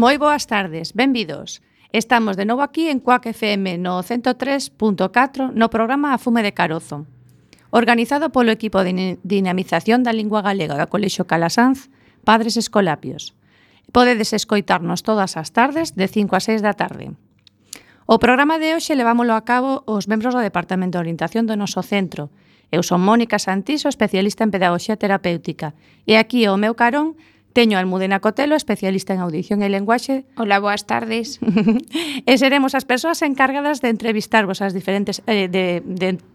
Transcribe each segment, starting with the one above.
Moi boas tardes, benvidos. Estamos de novo aquí en Cuac FM no 103.4 no programa A Fume de Carozo. Organizado polo equipo de dinamización da lingua galega do Colexio Calasanz, Padres Escolapios. Podedes escoitarnos todas as tardes de 5 a 6 da tarde. O programa de hoxe levámolo a cabo os membros do Departamento de Orientación do noso centro. Eu son Mónica Santiso, especialista en Pedagogía Terapéutica. E aquí ao meu carón teño a Almudena Cotelo, especialista en Audición e Lenguaxe. Hola, boas tardes. E seremos as persoas encargadas de entrevistarvos as diferentes de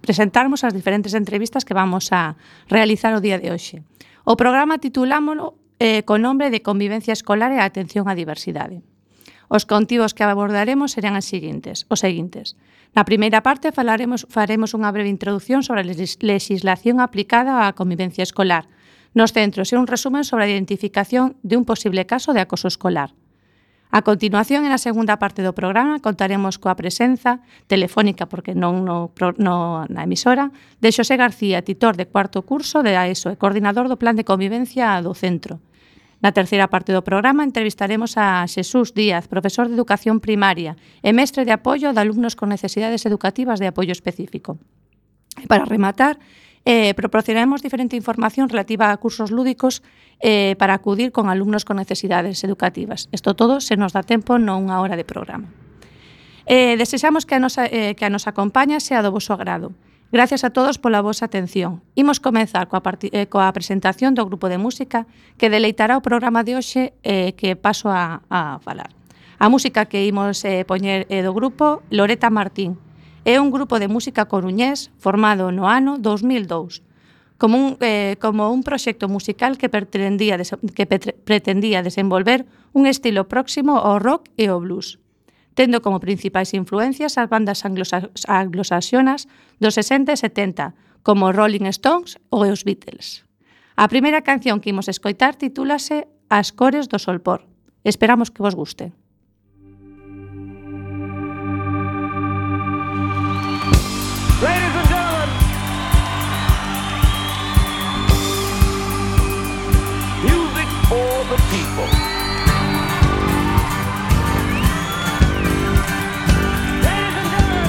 presentarmos as diferentes entrevistas que vamos a realizar o día de hoxe. O programa titulámolo co nombre de Convivencia Escolar e Atención á Diversidade. Os contidos que abordaremos serán os seguintes. Na primeira parte faremos unha breve introdución sobre a legislación aplicada á convivencia escolar nos centros e un resumen sobre a identificación de un posible caso de acoso escolar. A continuación, na segunda parte do programa, contaremos coa presenza telefónica, porque non na emisora, de Xosé García, titor de cuarto curso de AESO e coordinador do Plan de Convivencia do centro. Na terceira parte do programa entrevistaremos a Xesús Díaz, profesor de Educación Primaria e mestre de apoio de alumnos con necesidades educativas de apoio específico. E para rematar, proporcionaremos diferente información relativa a cursos lúdicos para acudir con alumnos con necesidades educativas. Isto todo se nos dá tempo nunha hora de programa. Desexamos que a nosa compañía sea do voso agrado. Gracias a todos pola vosa atención. Imos comenzar coa presentación do grupo de música que deleitará o programa de hoxe que paso a falar. A música que imos poñer do grupo Loreta Martín. É un grupo de música coruñés formado no ano 2002 como un proxecto musical que pretendía desenvolver un estilo próximo ao rock e ao blues, tendo como principais influencias as bandas anglosaxonas dos 60 e 70, como Rolling Stones ou os Beatles. A primeira canción que imos escoitar titúlase As cores do solpor. Esperamos que vos guste. Ladies and gentlemen, music for the people. Ladies and gentlemen,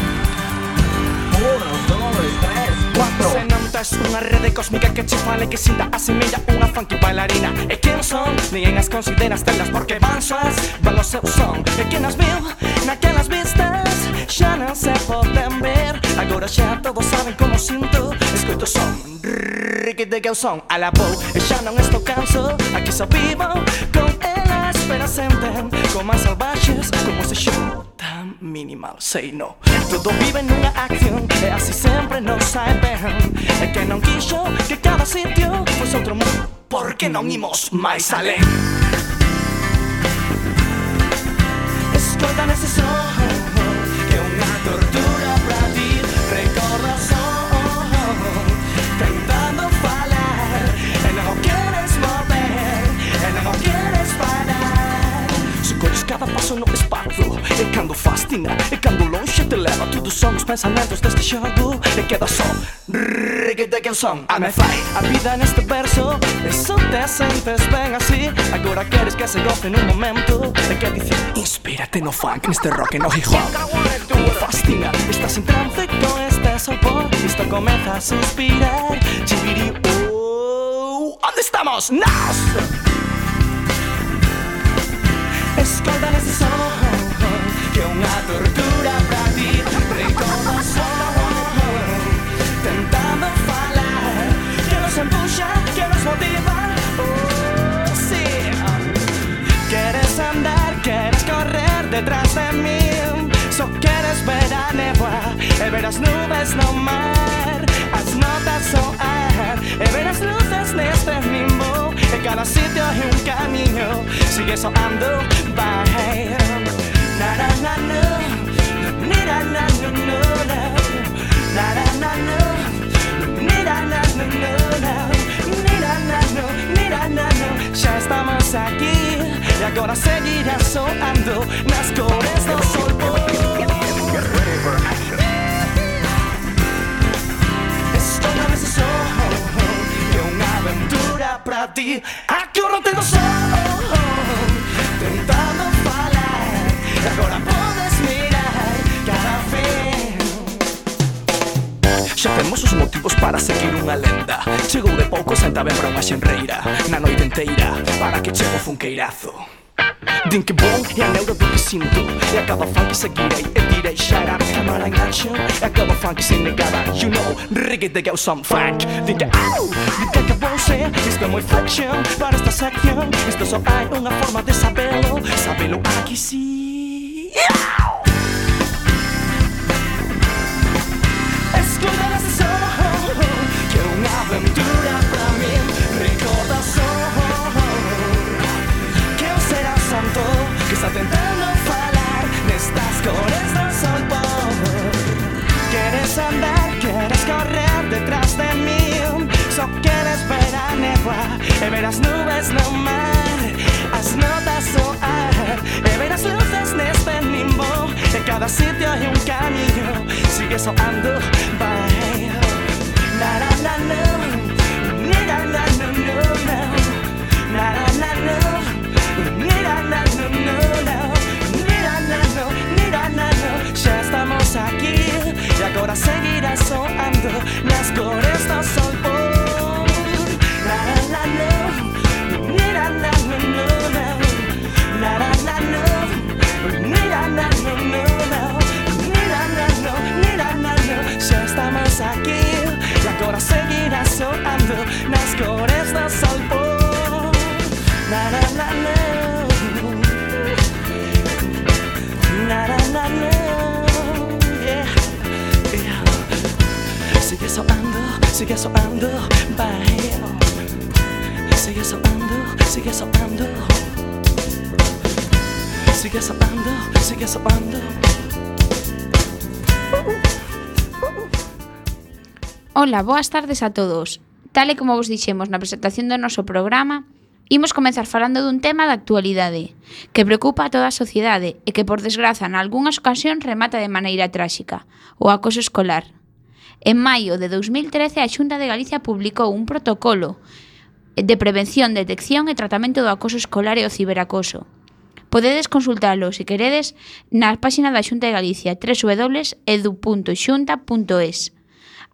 1, 2, 3, 4. Se non tes unha rede cósmica que che fale que sinta asemella unha funky bailarina. E quen son? Ninguén as consideras telas porque van soas, van o seu son. E quen as viu naquelas vistas xa non se poden ver. Agora xa todos saben como sinto. Escoito son, riquete que eu son a la pou. E xa non estou canso, aquí só vivo con elas. Pero senten como as salvaxes, como ese show tan minimal, say no. Todo vive nunha acción e así sempre nos sae ben. E que non quixo que cada sitio fosse outro mundo, porque non imos máis alén. Escoita nese son que é unha tortura pra ti. Recorda o son tentando falar e non o queres mover e non o queres parar. Se colles cada paso no espazo e cando fascina e cando longe te leva, tudo son os pensamentos deste xogo e queda só reguete que son. A me fai a vida neste verso e só te sentes ben así. Agora queres que se goce nun momento e que dice inspírate no funk, neste rock e no hip hop. Me fascina, estás en trance con este sopor. Isto comeza a suspirar. Chibiri, onde estamos? Nós! Escolta nesse som que é unha tortura pra ti. Recorda o son tentando falar que nos empuxa, que nos motiva. Oh, sí. Queres andar, queres correr detrás de mí. Só queres ver a néboa e ver as nubes no mar. As notas soar e ver as luces neste limbo. E cada sitio é un camiño, sigue soando, vai. Na na na no, na na no no no, na na na no, na na no no no, na na no, na na no. Já estamos aquí e agora seguirá soando nas cores do solpor. Estou na mesa só que é unha aventura pra ti. Aquí eu non tenho som tentando falar Xa temos os motivos para seguir unha lenda. Chegou de pouco Santa Ben para unha xenreira. Na noite enteira, para que chego funqueirazo. Din que bon e a neuro do que sinto. E acaba funk seguirei e direi shut up, camera in action. E acaba funk sem negada, you know, reggae de some funk. Din que au, din que bon ser. Isto é moi flexion para esta sección. Isto só hai unha forma de sabelo. Sabelo aquí sí. Escuta ese som, que é unha aventura pra mí. Recordación que eu será santo, que está tentando falar nestas cores do sol pôr. Queres andar, queres correr detrás de mí. Só queres ver a néboa e ver as nubes no mar, as notas soar e ver as luces neste limbo. En cada sitio hai un camiño, sigue soando, vai. Na na na na, na na na na na, na na na. Já estamos aquí e agora seguirá soando nas cores do sol pôr. Na na na, na na na na, na na na, na na na. Já estamos aqui e agora seguirá soando nas cores do sol pôr. Na na na na. Na, na, na, na, yeah, yeah. Sigue soando, vai. Sigue soando, sigue soando. Sigue soando, sigue soando. Ola, boas tardes a todos. Tal e como vos dixemos na presentación do noso programa, imos comenzar falando dun tema da actualidade que preocupa a toda a sociedade e que, por desgraza, nalgúnas ocasións remata de maneira tráxica, o acoso escolar. En maio de 2013, a Xunta de Galicia publicou un protocolo de prevención, detección e tratamento do acoso escolar e o ciberacoso. Podedes consultalo, se queredes, na páxina da Xunta de Galicia, www.edu.xunta.es.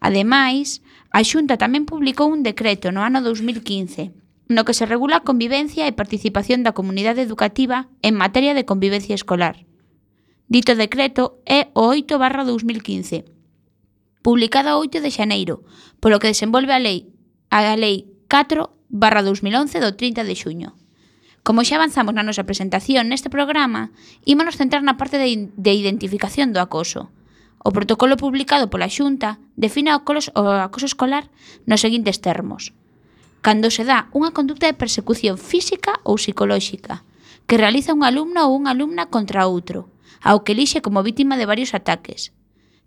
Ademais, a Xunta tamén publicou un decreto no ano 2015, no que se regula a convivencia e participación da comunidade educativa en materia de convivencia escolar. Dito decreto é o 8/2015, publicado o 8 de xaneiro, polo que desenvolve a Lei 4/2011 do 30 de xuño. Como xa avanzamos na nosa presentación neste programa, ímonos centrar na parte de identificación do acoso. O protocolo publicado pola Xunta define o acoso escolar nos seguintes termos: cando se dá unha conducta de persecución física ou psicolóxica que realiza un alumno ou unha alumna contra outro, ao que elixe como vítima de varios ataques.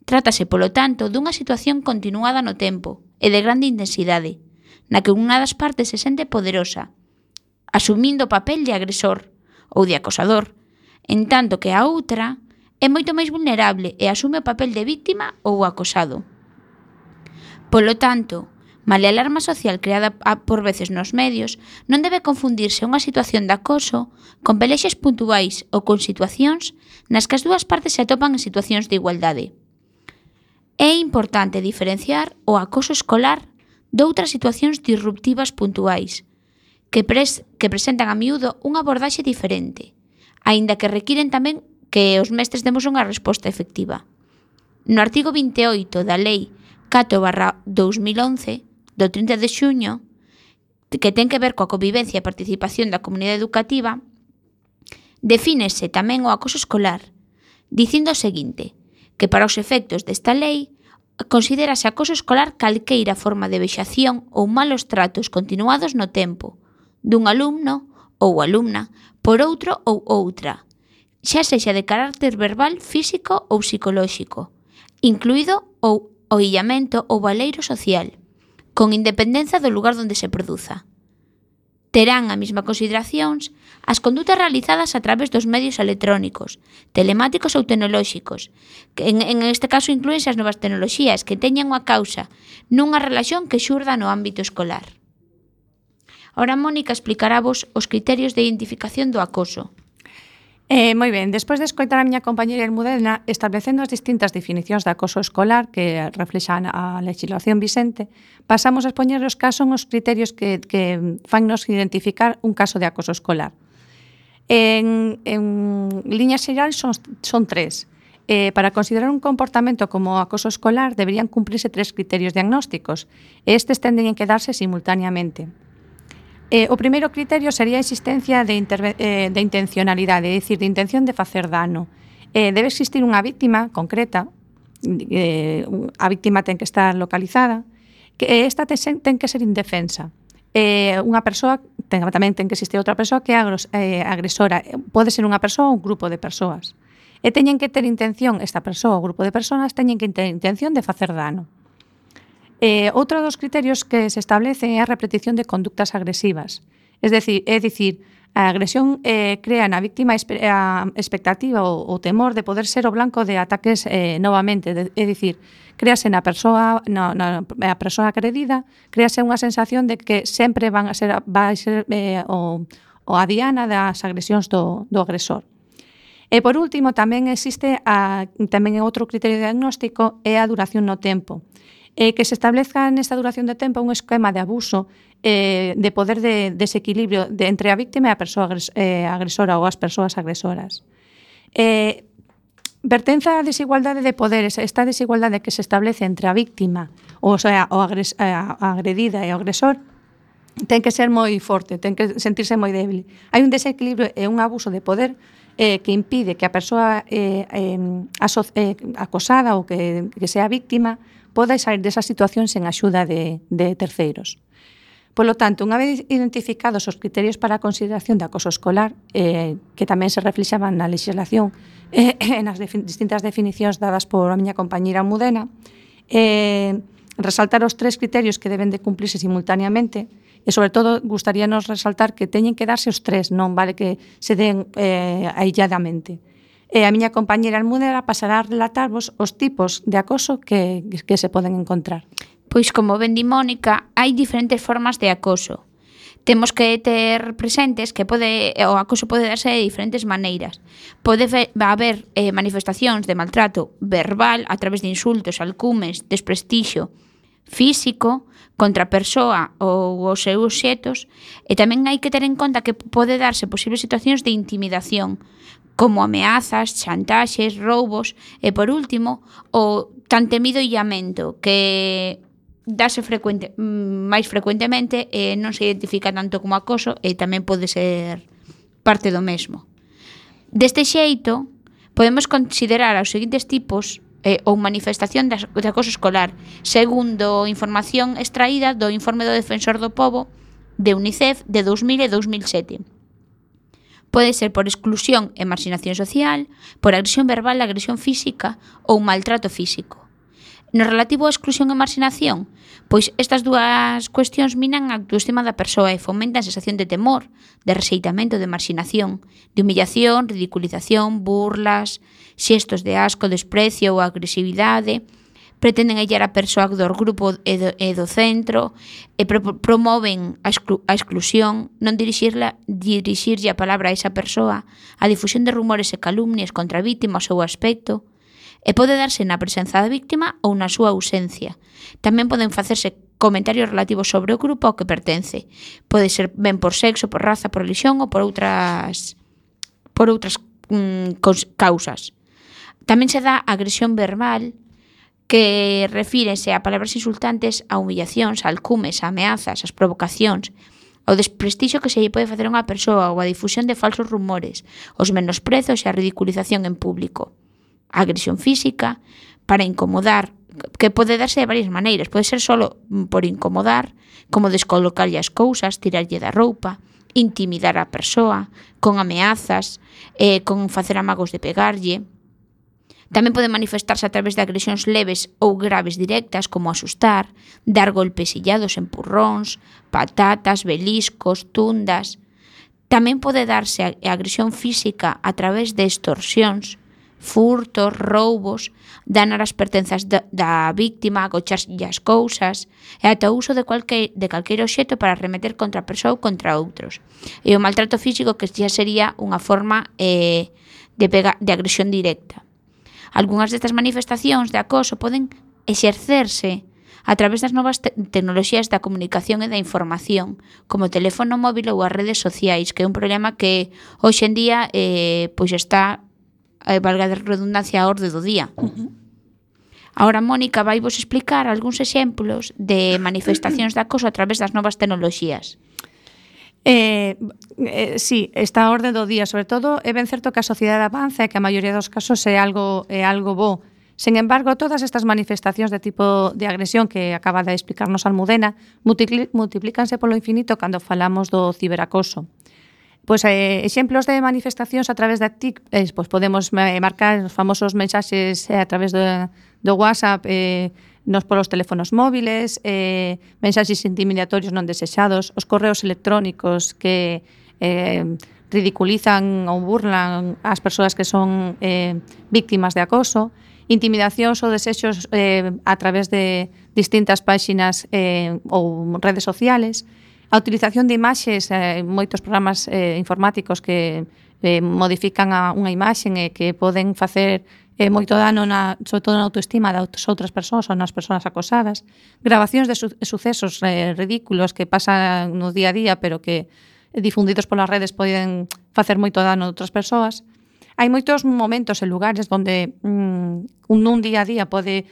Trátase, polo tanto, dunha situación continuada no tempo e de grande intensidade, na que unha das partes se sente poderosa, asumindo o papel de agresor ou de acosador, en tanto que a outra é moito máis vulnerable e asume o papel de vítima ou acosado. Polo tanto, malia a alarma social creada por veces nos medios, non debe confundirse unha situación de acoso con pelexes puntuais ou con situacións nas que as dúas partes se atopan en situacións de igualdade. É importante diferenciar o acoso escolar doutras situacións disruptivas puntuais, que presentan a miúdo unha abordaxe diferente, aínda que requiren tamén que os mestres demos unha resposta efectiva. No artigo 28 da Lei 4/2011, do 30 de xuño, que ten que ver coa convivencia e participación da comunidade educativa, defínese tamén o acoso escolar, dicindo o seguinte, que para os efectos desta lei considérase acoso escolar calqueira forma de vexación ou malos tratos continuados no tempo dun alumno ou alumna por outro ou outra, xa sexa de carácter verbal, físico ou psicolóxico, incluído o illamento ou baleiro social, con independencia do lugar onde se produza. Terán a mesma consideracións as condutas realizadas a través dos medios electrónicos, telemáticos ou tecnolóxicos, que en este caso inclúense as novas tecnoloxías que teñan unha causa nunha relación que xurda no ámbito escolar. Ora, Mónica explicará vos os criterios de identificación do acoso. Moi ben, despois de escoitar a miña compañeira Almudena establecendo as distintas definicións de acoso escolar que reflexan a legislación vixente, pasamos a expoñer os casos os criterios que fannos identificar un caso de acoso escolar. En liñas xerais son tres. Para considerar un comportamento como acoso escolar deberían cumprirse tres criterios diagnósticos e estes tenden a quedarse simultáneamente. O primeiro criterio sería a existencia de intencionalidade, é dicir, de intención de facer dano. Debe existir unha víctima concreta, a víctima ten que estar localizada, que esta ten que ser indefensa. Unha persoa, tamén ten que existir outra persoa que é agresora, pode ser unha persoa ou un grupo de persoas. E teñen que ter intención, esta persoa ou grupo de persoas teñen que ter intención de facer dano. Outro dos criterios que se establece é a repetición de conductas agresivas. É dicir, a agresión crea na víctima a expectativa ou temor de poder ser o blanco de ataques novamente. É dicir, créase na persoa agredida, créase unha sensación de que sempre vai ser a diana das agresións do agresor. E por último, tamén existe tamén outro criterio diagnóstico é a duración no tempo. Que se establezca nesta duración de tempo un esquema de abuso de poder de desequilibrio entre a víctima e a persoa agresora ou as persoas agresoras. Pertence á desigualdade de poderes, esta desigualdade que se establece entre a víctima, ou sea, a agredida e o agresor, ten que ser moi forte, ten que sentirse moi débil. Hai un desequilibrio e un abuso de poder que impide que a persoa acosada ou que sea víctima poda sair desa situación sen axuda de terceiros. Polo tanto, unha vez identificados os criterios para a consideración de acoso escolar, que tamén se reflexaban na legislación nas distintas definicións dadas por a miña compañeira Almudena, resaltar os tres criterios que deben de cumplirse simultáneamente e, sobre todo, gustaríanos resaltar que teñen que darse os tres, non vale que se den ailladamente. A miña compañeira Almudena pasará a relatarvos os tipos de acoso que se poden encontrar. Pois, como ben di Mónica, hai diferentes formas de acoso. Temos que ter presentes que o acoso pode darse de diferentes maneiras. Pode haber manifestacións de maltrato verbal a través de insultos, alcumes, desprestixio físico contra a persoa ou os seus xetos, e tamén hai que ter en conta que pode darse posibles situacións de intimidación, como ameazas, chantaxes, roubos e, por último, o tan temido illamento que dase máis frecuentemente e non se identifica tanto como acoso e tamén pode ser parte do mesmo. Deste xeito, podemos considerar os seguintes tipos ou manifestación de acoso escolar, segundo información extraída do Informe do Defensor do Pobo de UNICEF de 2000 e 2007. Pode ser por exclusión e marxinación social, por agresión verbal, agresión física ou maltrato físico. No relativo a exclusión e marxinación, pois estas dúas cuestións minan a autoestima da persoa e fomentan a sensación de temor, de rexeitamento, de marxinación, de humillación, ridiculización, burlas, xestos de asco, desprecio ou agresividade, pretenden illar a persoa do grupo e do centro e promoven a exclusión, non dirixirlle a palabra a esa persoa, a difusión de rumores e calumnias contra a víctima o seu aspecto, e pode darse na presenza da víctima ou na súa ausencia. Tamén poden facerse comentarios relativos sobre o grupo ao que pertence. Pode ser ben por sexo, por raza, por religión ou por outras causas. Tamén se dá agresión verbal, que refírese a palabras insultantes, a humillacións, a alcumes, a ameazas, as provocacións, ao desprestixio que se lle pode facer a unha persoa ou a difusión de falsos rumores, os menosprezos e a ridiculización en público. A agresión física, para incomodar, que pode darse de varias maneiras, pode ser solo por incomodar, como descolocarlle as cousas, tirarlle da roupa, intimidar a persoa, con ameazas, con facer amagos de pegarlle. Tamén pode manifestarse a través de agresións leves ou graves directas, como asustar, dar golpes illados, empurróns, patatas, beliscos, tundas. Tamén pode darse a agresión física a través de extorsións, furtos, roubos, danar as pertenzas da víctima, agocharlle as cousas e ata o uso de calqueiro obxecto para arremeter contra a persoa ou contra outros. E o maltrato físico que xa sería unha forma de agresión directa. Algúnas destas manifestacións de acoso poden exercerse a través das novas tecnoloxías da comunicación e da información, como o teléfono móvil ou as redes sociais, que é un problema que hoxe en día pois está, valga de redundancia, a orde do día. Ahora Mónica vai vos explicar algúns exemplos de manifestacións de acoso a través das novas tecnoloxías. Sí, está a orde do día, sobre todo é ben certo que a sociedade avanza e que a maioría dos casos é algo bo. Sen embargo, todas estas manifestacións de tipo de agresión que acaba de explicarnos Almudena multiplícanse polo infinito cando falamos do ciberacoso. Pois exemplos de manifestacións a través da TIC, pois podemos marcar os famosos mensaxes a través do WhatsApp, nos polos teléfonos móviles, mensaxes intimidatorios non desexados, os correos electrónicos que ridiculizan ou burlan as persoas que son víctimas de acoso, intimidacións ou desexos a través de distintas páxinas ou redes sociales, a utilización de imaxes, moitos programas informáticos que modifican unha imaxe e que poden facer moito dano sobre todo na autoestima das outras persoas ou nas persoas acosadas, grabacións de sucesos ridículos que pasan no día a día pero que difundidos polas redes poden facer moito dano a outras persoas. Hai moitos momentos e lugares onde nun día a día pode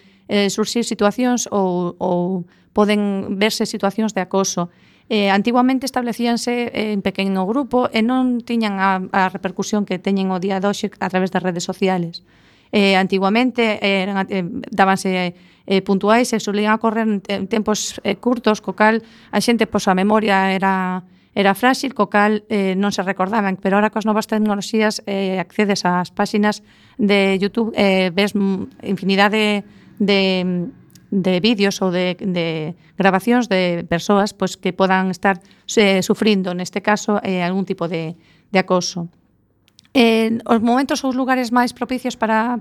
surxir situacións ou poden verse situacións de acoso. Antiguamente establecíanse en pequeno grupo e non tiñan a repercusión que teñen o día de hoxe a través das redes sociales. Antiguamente dábanse puntuais e solían ocorrer en tempos curtos, co cal a xente, a memoria era frágil, co cal non se recordaban, pero ahora coas novas tecnoloxías accedes ás páxinas de YouTube, ves infinidade de vídeos ou de grabacións de persoas pois, que podan estar sufrindo, neste caso, algún tipo de acoso. Os momentos ou os lugares máis propicios para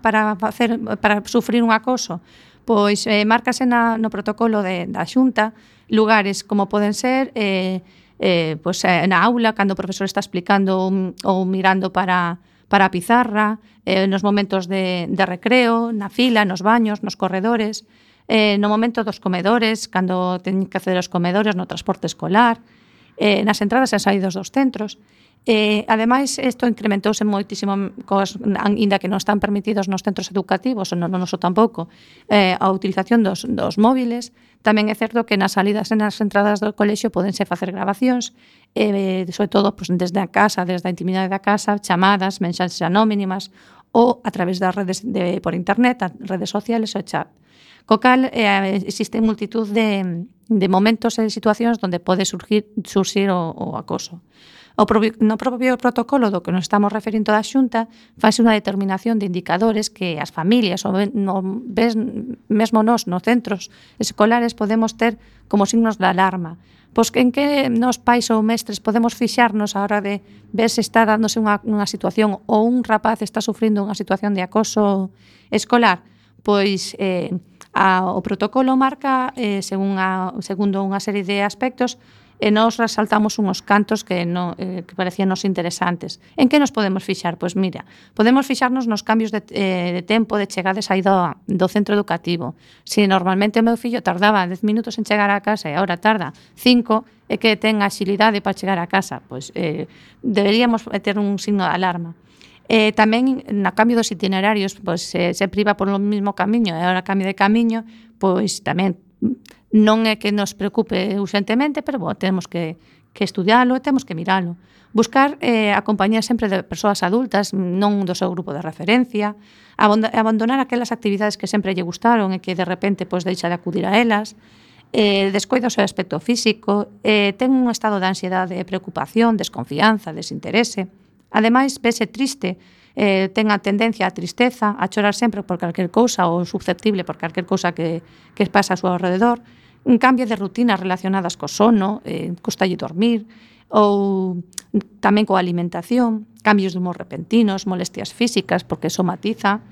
sufrir un acoso, pois márcase no protocolo da Xunta lugares como poden ser na aula, cando o profesor está explicando ou mirando para a pizarra, nos momentos de recreo, na fila, nos baños, nos corredores, no momento dos comedores, cando teñen que acceder aos comedores, no transporte escolar, nas entradas e saídas dos centros. Ademais, isto incrementouse moitísimo, ainda que non están permitidos nos centros educativos, non noso tampouco, a utilización dos móviles. Tamén é certo que nas salidas e nas entradas do colexio podense facer grabacións, sobre todo desde a casa, desde a intimidade da casa, chamadas, mensaxes anónimas ou a través das redes por internet, as redes sociales ou chat. Co cal, existe multitud de momentos e situacións onde pode surxir o acoso. No propio protocolo do que nos estamos referindo da Xunta fase unha determinación de indicadores que as familias ou mesmo nos centros escolares podemos ter como signos de alarma. Pois en que nos pais ou mestres podemos fixarnos a hora de ver se está dándose unha situación ou un rapaz está sufrindo unha situación de acoso escolar? Pois o protocolo marca segundo unha serie de aspectos e nos resaltamos unhos cantos que parecían nos interesantes. En que nos podemos fixar? Pois mira, podemos fixarnos nos cambios de tempo de chegada e saída do centro educativo. Se normalmente o meu fillo tardaba 10 minutos en chegar a casa e agora tarda 5, e que ten axilidade para chegar a casa, pois deberíamos ter un signo de alarma. Tamén no cambio dos itinerarios, pois se priva por o mesmo camiño e agora cambio de camiño, pois tamén non é que nos preocupe urgentemente, pero temos que estudialo e temos que miralo. Buscar a compañía sempre de persoas adultas, non do seu grupo de referencia, abandonar aquelas actividades que sempre lle gustaron e que de repente deixa de acudir a elas, descoida o seu aspecto físico, ten un estado de ansiedade, preocupación, desconfianza, desinterese. Ademais, vese triste, ten a tendencia á tristeza, a chorar sempre por calquer cousa ou susceptible por calquer cousa que pasa a súa alrededor, un cambio de rutinas relacionadas co sono, costalle dormir, ou tamén coa alimentación, cambios de humor repentinos, molestias físicas, porque somatiza,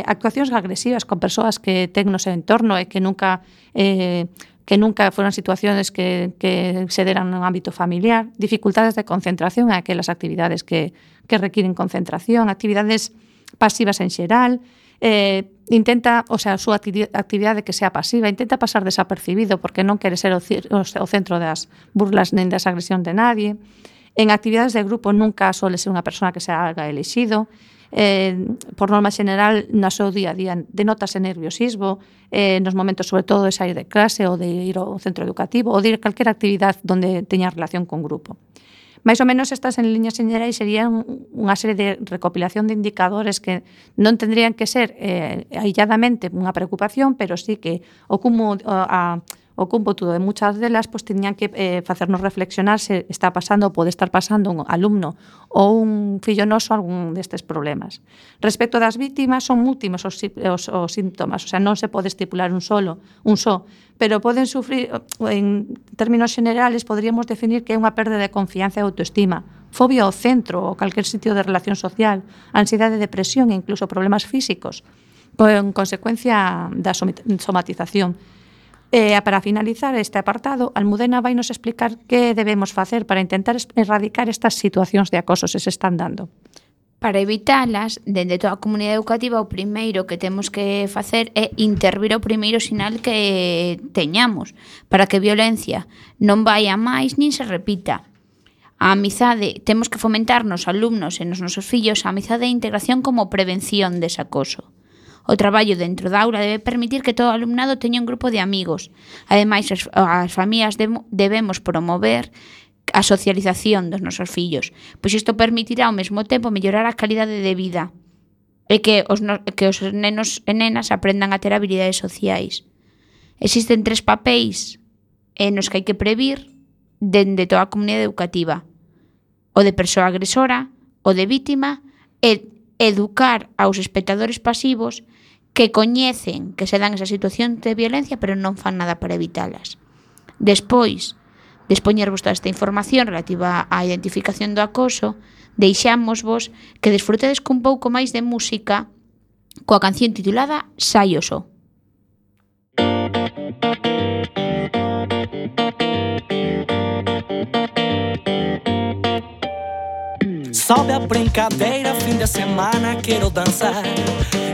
actuacións agresivas con persoas que ten no seu entorno e que nunca foran situaciones que se deran no ámbito familiar, dificultades de concentración en aquelas actividades que requiren concentración, actividades pasivas en xeral, intenta, o sea, a súa actividade que sea pasiva, intenta pasar desapercibido porque non quere ser o centro das burlas nen das agresión de nadie. En actividades de grupo nunca suele ser unha persona que se haga elixido. Por norma xeneral, no seu día a día denótase nerviosismo, nos momentos sobre todo de sair de clase ou de ir ao centro educativo ou de ir a calquera actividade donde teña relación con grupo. Mais ou menos estas en líneas xerais serían unha serie de recopilación de indicadores que non tendrían que ser ailladamente unha preocupación, pero sí que o cómputo de muchas delas pues, teñan que facernos reflexionar se está pasando ou pode estar pasando un alumno ou un fillo noso algún destes problemas. Respecto das vítimas, son múltiples os síntomas, o sea, non se pode estipular un só, pero poden sufrir, en términos generales, podríamos definir que é unha perda de confianza e autoestima, fobia ao centro ou calquer sitio de relación social, ansiedade, depresión e incluso problemas físicos, con consecuencia da somatización. Para finalizar este apartado, Almudena vai nos explicar que debemos facer para intentar erradicar estas situacións de acoso se se están dando. Para evitalas, dende toda a comunidade educativa, o primeiro que temos que facer é intervir o primeiro sinal que teñamos para que a violencia non vai a máis nin se repita. A amizade, temos que fomentar nos alumnos e nos nosos fillos a amizade e integración como prevención dese acoso. O traballo dentro da aula debe permitir que todo o alumnado teña un grupo de amigos. Ademais, as familias debemos promover a socialización dos nosos fillos, pois isto permitirá ao mesmo tempo mellorar a calidade de vida e que os nenos e nenas aprendan a ter habilidades sociais. Existen 3 papéis nos que hai que previr dende toda a comunidade educativa: o de persoa agresora, o de vítima e educar aos espectadores pasivos que coñecen que se dan esa situación de violencia pero non fan nada para evitalas. Despois de expoñervos toda esta información relativa á identificación do acoso, deixámosvos que desfrutedes cun pouco máis de música coa canción titulada Sai o Só. Sobe a brincadeira, fim de semana quero dançar.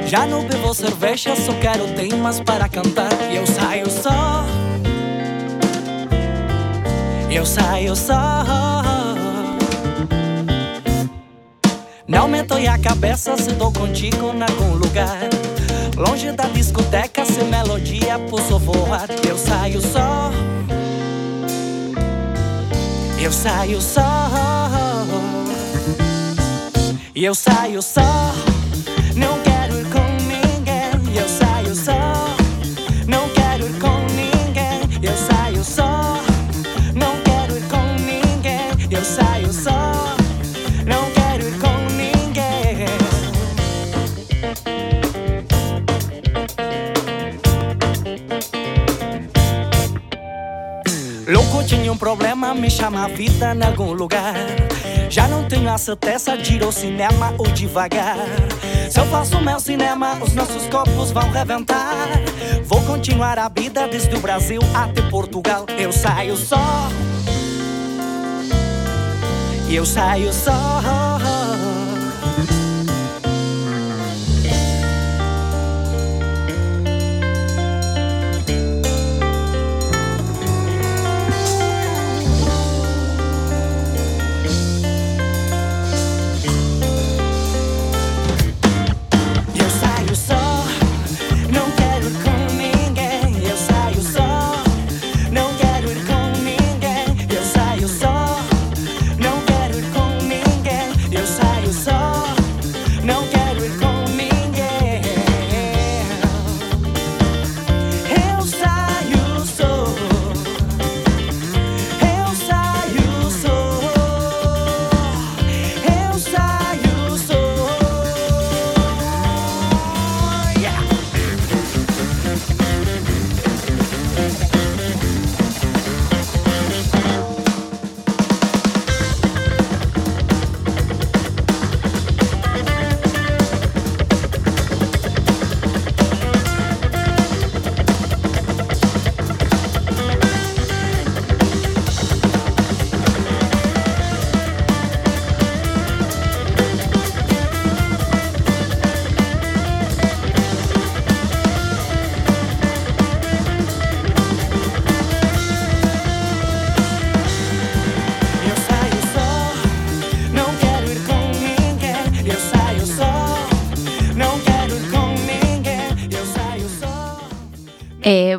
Já não bebo cerveja, só quero temas para cantar. E eu saio só, eu saio só. Não me dói a cabeça se tô contigo em algum lugar. Longe da discoteca, sem melodia, posso voar. Eu saio só, eu saio só. Eu saio só, não quero ir com ninguém. Eu saio só, não quero ir com ninguém. Eu saio só, não quero ir com ninguém. Eu saio só, não quero ir com ninguém. Louco, tinha um problema, me chama a vida em algum lugar. Já não tenho a certeza de ir ao cinema ou devagar. Se eu faço meu cinema, os nossos corpos vão reventar. Vou continuar a vida desde o Brasil até Portugal. Eu saio só, eu saio só. Eu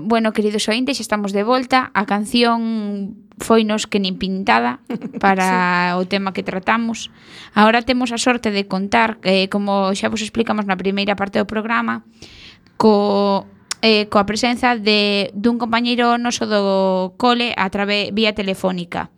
Bueno, queridos ointes, xa estamos de volta. A canción foinos que nin pintada para o tema que tratamos. Agora temos a sorte de contar, como xa vos explicamos na primeira parte do programa, coa presenza dun compañeiro noso do cole vía telefónica.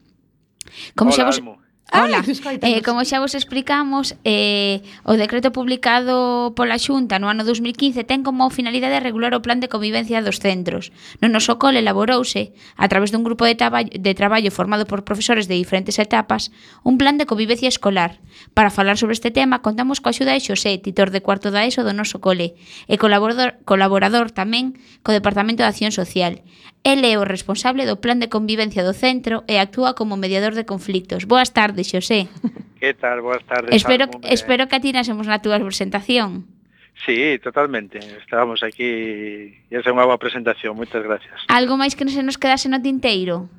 Como Hola, xa vos... Almo. Hola, escoitamos. como xa vos explicamos, o decreto publicado pola Xunta no ano 2015 ten como finalidade regular o plan de convivencia dos centros. No noso cole elaborouse, a través dun grupo de traballo formado por profesores de diferentes etapas, un plan de convivencia escolar. Para falar sobre este tema, contamos coa axuda de Xosé, titor de cuarto da ESO do noso cole, e colaborador tamén co Departamento de Acción Social. Ele é o responsable do plan de convivencia do centro e actúa como mediador de conflictos. Boas tardes, Xosé. Que tal? Boas tardes, Almo. Espero que atinásemos na túa presentación. Sí, totalmente. Estábamos aquí e esa é unha boa presentación. Moitas gracias. Algo máis que non se nos quedase no tinteiro?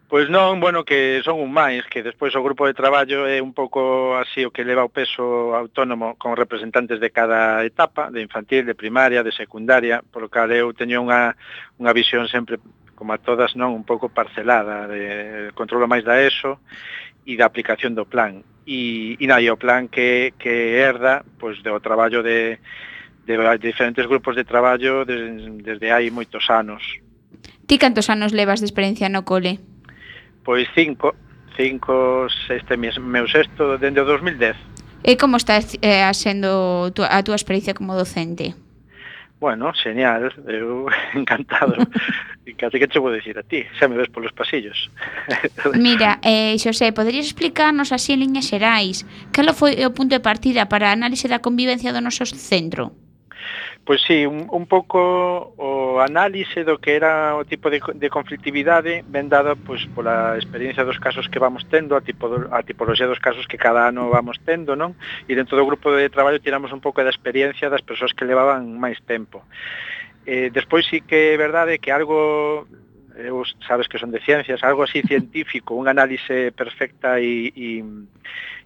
Pois non, bueno, que son un máis, que despois o grupo de traballo é un pouco así o que leva o peso autónomo con representantes de cada etapa, de infantil, de primaria, de secundaria, por lo que eu teño unha visión sempre, como a todas, non un pouco parcelada, de controlo máis da ESO e da aplicación do plan. E o plan que herda, pois, do traballo de diferentes grupos de traballo desde hai moitos anos. Ti cantos anos levas de experiencia no cole? Pois cinco, este meu sexto, dende o 2010. E como está sendo a túa experiencia como docente? Bueno, genial, eu encantado. Casi que che vou dicir a ti, xa me ves polos pasillos. Mira, Xosé, poderías explicarnos así en liñas xerais cal foi o punto de partida para a análise da convivencia do noso centro? Pois sí, un pouco o análise do que era o tipo de conflictividade ben dada pois pola experiencia dos casos que vamos tendo, a tipoloxía dos casos que cada ano vamos tendo, non? E dentro do grupo de traballo tiramos un pouco da experiencia das persoas que levaban máis tempo. Despois sí que é verdade que algo, sabes que son de ciencias, algo así científico, un análise perfecta e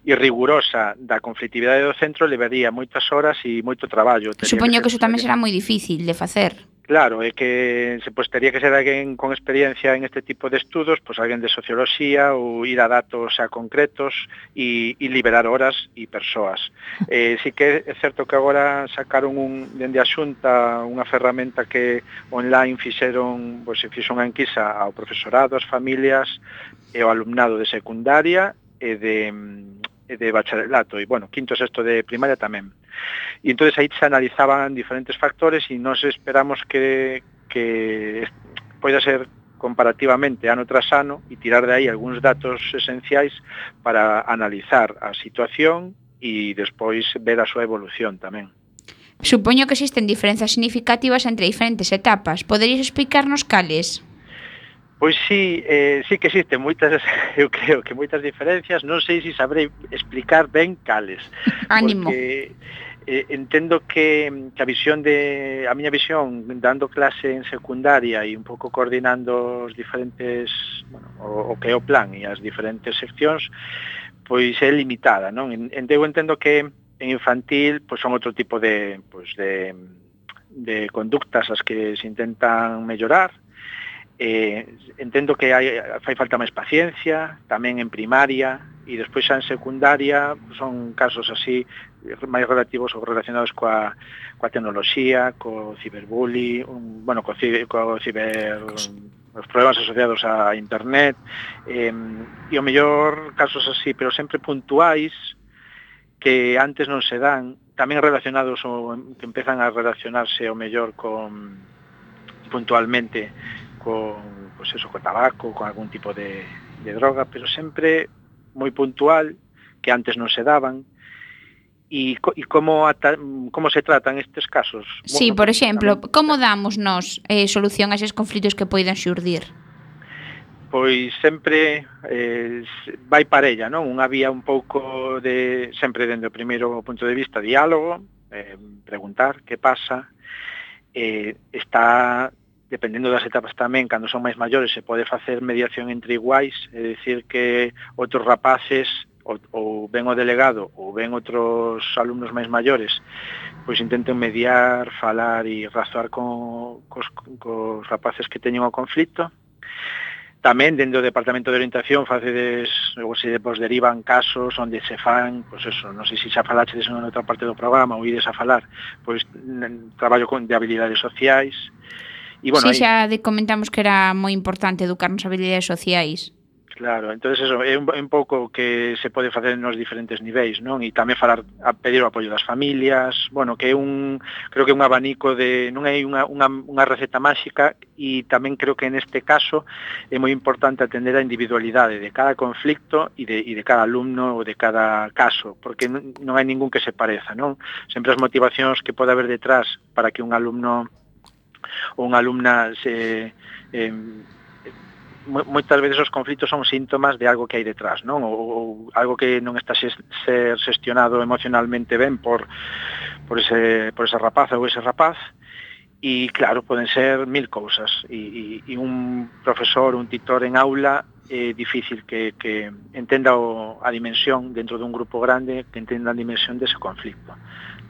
rigurosa da conflictividade do centro levaría moitas horas e moito traballo. Supoño que eso tamén será moi difícil de facer. Claro, é que tería que ser alguén con experiencia en este tipo de estudos, pois alguén de socioloxía ou ir a datos a concretos e liberar horas e persoas. Sí que é certo que agora sacaron dende a Xunta unha ferramenta que online fixeron, pois se fixo unha enquisa ao profesorado, as familias e ao alumnado de secundaria e de bacharelato, e, bueno, quinto e sexto de primaria tamén. E entón aí se analizaban diferentes factores e nos esperamos que poida ser comparativamente ano tras ano e tirar de aí algúns datos esenciais para analizar a situación e despois ver a súa evolución tamén. Supoño que existen diferenzas significativas entre diferentes etapas. Poderías explicarnos cales? Pois sí, sí que existen moitas, eu creo que moitas diferencias, non sei se sabrei explicar ben cales. Ánimo. Porque entendo que a miña visión dando clase en secundaria e un pouco coordinando os diferentes, bueno, o que é o plan e as diferentes seccións, pois é limitada, non? Eu entendo que en infantil pois son outro tipo de conductas as que se intentan mellorar. Entendo que fai falta máis paciencia, tamén en primaria, e despois xa en secundaria son casos así máis relativos ou relacionados coa tecnoloxía, co ciberbullying, os problemas asociados a internet, e o mellor casos así, pero sempre puntuais, que antes non se dan, tamén relacionados ou que empezan a relacionarse o mellor puntualmente con tabaco, con algún tipo de droga, pero sempre moi puntual, que antes non se daban. E como se tratan estes casos? Sí, por exemplo, como damos nós solución a eses conflitos que poidan xurdir? Pois sempre vai parella, non? Unha vía un pouco sempre dende o primeiro punto de vista, diálogo, preguntar que pasa, está dependendo das etapas tamén, cando son máis maiores se pode facer mediación entre iguais, é dicir que outros rapaces ou ben o delegado ou ben outros alumnos máis maiores, pois intenten mediar, falar e razoar cos rapaces que teñen o conflito. Tamén, dentro do Departamento de Orientación, facedes, ou se vos derivan casos onde se fan, pois eso, non sei se xa falaches en outra parte do programa ou ides a falar, pois traballo de habilidades sociais. E, bueno, Sí, xa comentamos que era moi importante educarnos habilidades sociais. Claro, entonces eso é un pouco que se pode facer nos diferentes niveis, non? E tamén falar, a pedir o apoio das familias, bueno, que é creo que é un abanico de, non é unha receta máxica, e tamén creo que neste caso é moi importante atender a individualidade de cada conflicto e de cada alumno ou de cada caso, porque non hai ningún que se pareza, non? Sempre as motivacións que pode haber detrás para que un alumno ou unha alumna moitas veces os conflitos son síntomas de algo que hai detrás, non? Ou algo que non está ser xestionado emocionalmente ben por esa rapaza ou ese rapaz. E claro, poden ser 1000 cousas, e un profesor, un titor en aula é difícil que entenda a dimensión dentro dun grupo grande, que entenda a dimensión dese conflicto.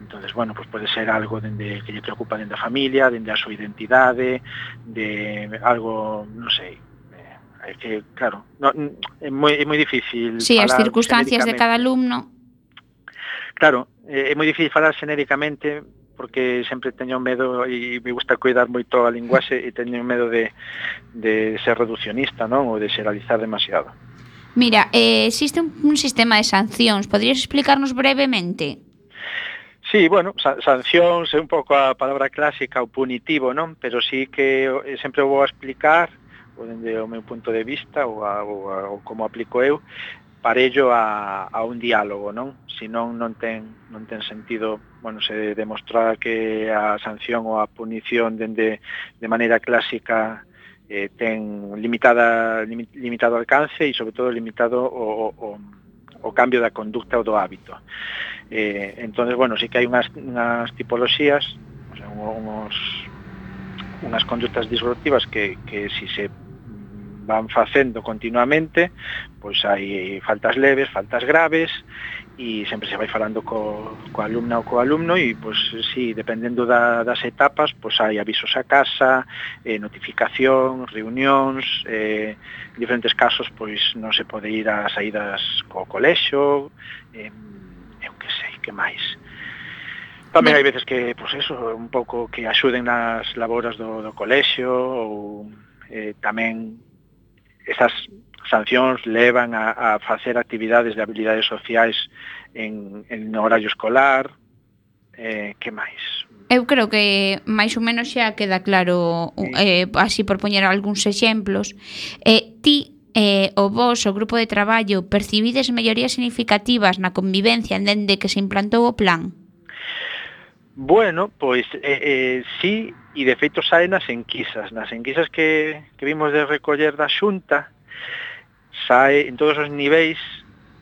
Entonces, bueno, pues pode ser algo dende que lle preocupa dende a familia, dende a súa identidade, de algo, non sei, é que, claro, é moi difícil Sí, falar as circunstancias de cada xenéricamente. alumno. Claro, é moi difícil falar xenéricamente porque sempre teño medo e me gusta cuidar moito a linguaxe e teño medo de ser reduccionista, non? Ou de xeralizar demasiado. Mira, existe un sistema de sancións. Podrías explicarnos brevemente? Sí, bueno, sancións é un pouco a palabra clásica, o punitivo, non? Pero sí que sempre vou a explicar, ou dende o meu punto de vista, ou como aplico eu, parello a un diálogo, non? Senón non ten sentido, bueno, se demostrar que a sanción ou a punición de maneira clásica ten limitado alcance e, sobre todo, limitado o cambio da conducta ou do hábito. Entonces, bueno, sí que hai unhas tipoloxías, o sea, unhas conductas disruptivas que si se van facendo continuamente, pois hai faltas leves, faltas graves, e sempre se vai falando co alumna ou co alumno, e pois si, dependendo das etapas, pois hai avisos a casa, notificación, reunións, en diferentes casos pois non se pode ir a saídas co colexio, eu que sei, que máis. Tamén hai veces que, pois eso, un pouco que axuden nas laboras do colexio, ou tamén esas sancións levan a facer actividades de habilidades sociais en horario escolar. Que máis? Eu creo que máis ou menos xa queda claro, así por poñer algúns exemplos. Ti o vos, o grupo de traballo, percibides mellorías significativas na convivencia dende que se implantou o plan? Bueno, pois sí, e de feito sae nas enquisas que vimos de recoller da Xunta, sae en todos os niveis,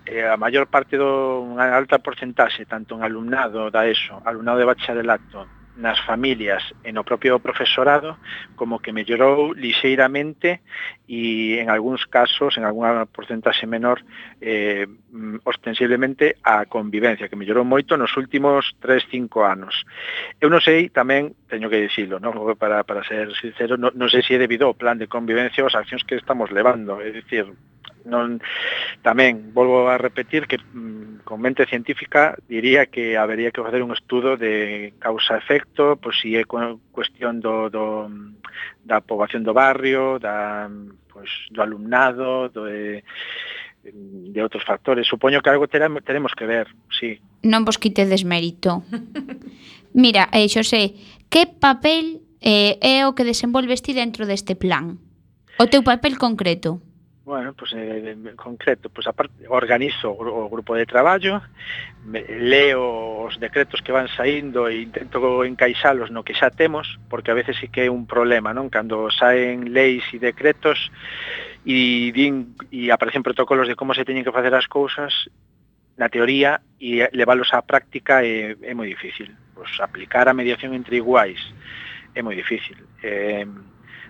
a maior parte unha alta porcentaxe, tanto en alumnado da ESO, alumnado de bacharelato, nas familias e no propio profesorado, como que mellorou lixeiramente e en algúns casos, en algunha porcentaxe menor, ostensiblemente a convivencia, que mellorou moito nos últimos 3-5 anos. Eu non sei, tamén, teño que dicilo, ¿no? Para ser sincero, non sei se é debido ao plan de convivencia ou as accións que estamos levando, é dicir, tamén volvo a repetir que con mente científica diría que habería que facer un estudo de causa-efecto, pois si é cuestión da poboación do barrio, do alumnado, de outros factores. Supoño que algo teremos que ver, sí. Non vos quitedes mérito. Mira, Xosé, que papel é o que desenvolves ti dentro deste plan? O teu papel concreto? Bueno, pues en concreto, pues aparte organizo o grupo de traballo, leo os decretos que van saindo e intento encaixalos no que xa temos, porque a veces sí que é un problema, non? Cando saen leis e decretos e aparecen protocolos de como se teñen que facer as cousas, na teoría, e leválos á práctica é moi difícil. Pues aplicar a mediación entre iguais é moi difícil.